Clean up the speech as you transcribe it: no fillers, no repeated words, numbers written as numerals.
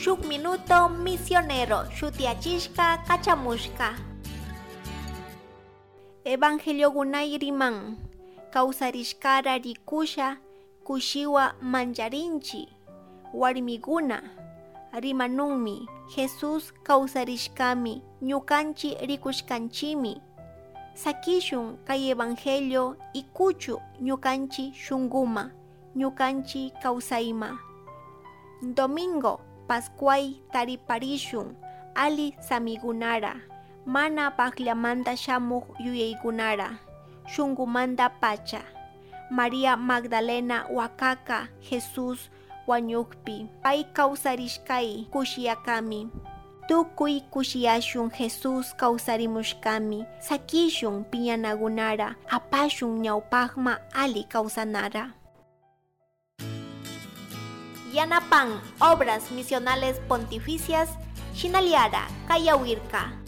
Shuk Minuto Misionero shutiachishka kachamushka. Evangeliogunay riman kawsarishkara rikusha kushiwa mancharinchi warmiguna rimanunmi Jesús kawsarishkami ñukanchi rikushkanchimi. Sakishun kay evangelio ikuchu ñukanchi shunguma ñukanchi kawsayma. Domingo Pascuay tariparishun ali samigunara mana pakllamanta shamuk yuyaykunara shungumanta pacha. María Magdalena wakaka Jesús wañukpi pay kawsarishkay kushiyakami. Tukuy kushiyashun Jesús kawsarimushkami sakishun piñanagunara apashun ñawpakma ali kawsanara. Yanapan Obras Misionales Pontificias Shinaliara Kayawirka.